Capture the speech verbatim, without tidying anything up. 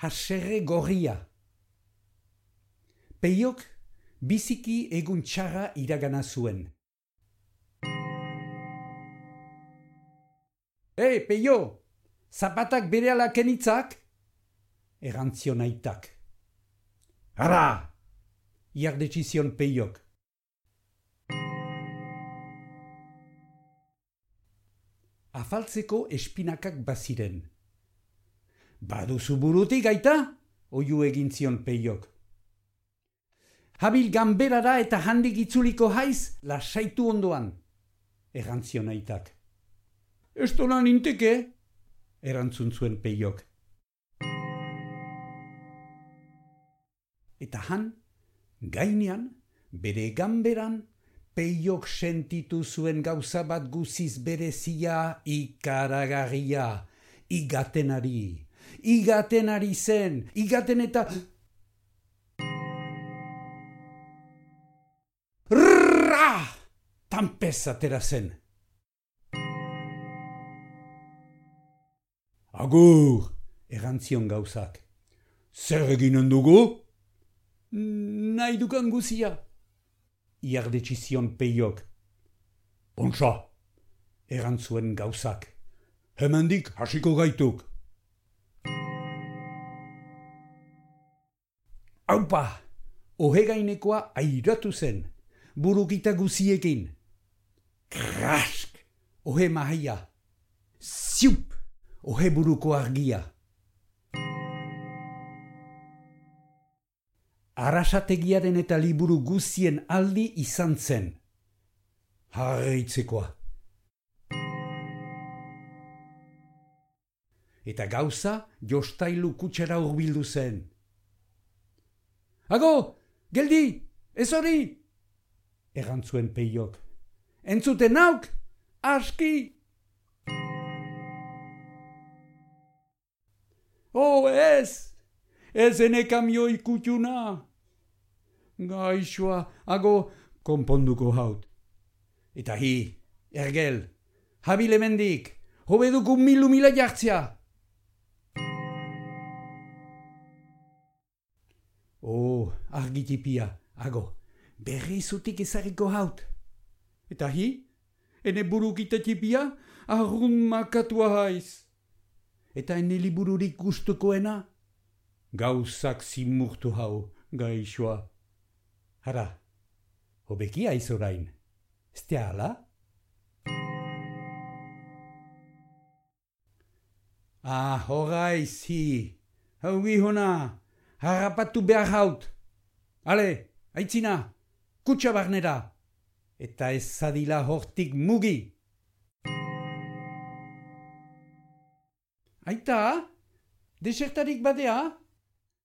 haserre gorria. Peiok biziki egun txarra iragana zuen. Ei, Peio, zapatak berehala kenitzak? Erantzion aitak. Ara! Iardetxizion Peiok. Afaltzeko espinakak baziren. Baduzu burutik aita? Oiu egin zion Peiok. Habil ganberara eta handik itzuliko haiz, lasaitu ondoan. Erantzion aitak. Estola ninteke? Erantzun zuen Peiok. Eta han, gainean, bere ganberan, Peiok sentitu zuen gauza bat guziz berezia, ikaragarria, igatenari. Igatenari zen, igaten eta... Rrrra! Tanpez atera zen. Agur, erantzion gauzak. Zer eginen dugu? Nahi dukan guzia. Iardetxizion Peiok. Ontsa, erantzuen gauzak. Hemendik hasiko gaituk. Aupa, ohegainekoa airatu zen, burukita guziekin. Krask, ohe mahaia. Ziup, ohe buruko argia. Arasategiaren eta liburu guzien aldi izan zen. Harritzekoa. Eta gauza jostailu kutsera hurbildu zen. Ago, geldi, ez hori! Erantzuen Peiok. Entzuten nauk, aski! Oh, ez! Ez ene kamioi kutxuna! Gaixoa, ago, konponduko haut. Eta hi, ergel, habil hemendik, hobeduko milu mila jartzea. Oh, argitipia, ago, berri zutik ezariko haut. Eta hi, ene burukita tipia, arrun makatua haiz. Eta ene libururik gustukoena, gauzak zimurtu hau, gaixoa. Hara, hobeki aiz orain, ezte ala? Ah, horaiz hi, hau gihona, harrapatu behar haut. Ale, aitzina, kutsa barnera, eta ez zadila hortik mugi. Aita, desertarik badea?